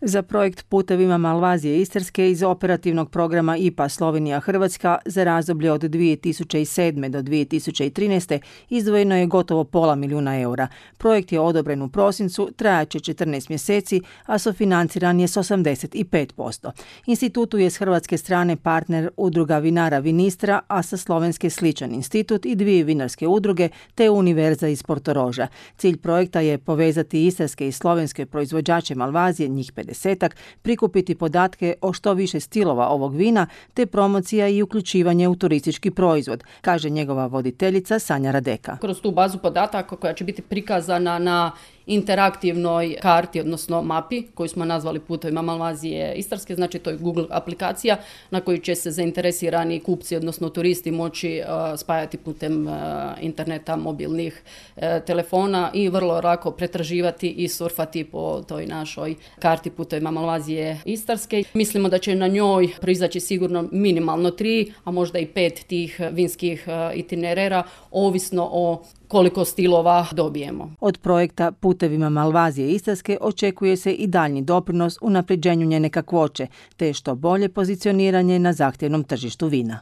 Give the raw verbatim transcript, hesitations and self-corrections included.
Za projekt Putevima Malvazije Istarske iz operativnog programa I P A Slovenija-Hrvatska za razdoblje od dvije tisuće sedme do dvije tisuće trinaeste izdvojeno je gotovo pola milijuna eura. Projekt je odobren u prosincu, trajaće četrnaest mjeseci, a sofinanciran je s osamdeset pet posto. Institutu je s hrvatske strane partner udruga vinara Vinistra, a sa slovenske sličan institut i dvije vinarske udruge te Univerza iz Portoroža. Cilj projekta je povezati istarske i slovenske proizvođače Malvazije, njih pedesetak, prikupiti podatke o što više stilova ovog vina, te promocija i uključivanje u turistički proizvod, kaže njegova voditeljica Sanja Radeka. Kroz tu bazu podataka koja će biti prikazana na interaktivnoj karti, odnosno mapi, koju smo nazvali Putevima Malvazije Istarske, znači to je Google aplikacija na koju će se zainteresirani kupci, odnosno turisti moći uh, spajati putem uh, interneta, mobilnih uh, telefona i vrlo lako pretraživati i surfati po toj našoj karti Putevima Malvazije Istarske. Mislimo da će na njoj proizaći sigurno minimalno tri, a možda i pet tih vinskih uh, itinerera, ovisno o koliko stilova dobijemo. Od projekta Putevima Malvazije Istarske očekuje se i daljnji doprinos unapređenju njene kakvoće, te što bolje pozicioniranje na zahtjevnom tržištu vina.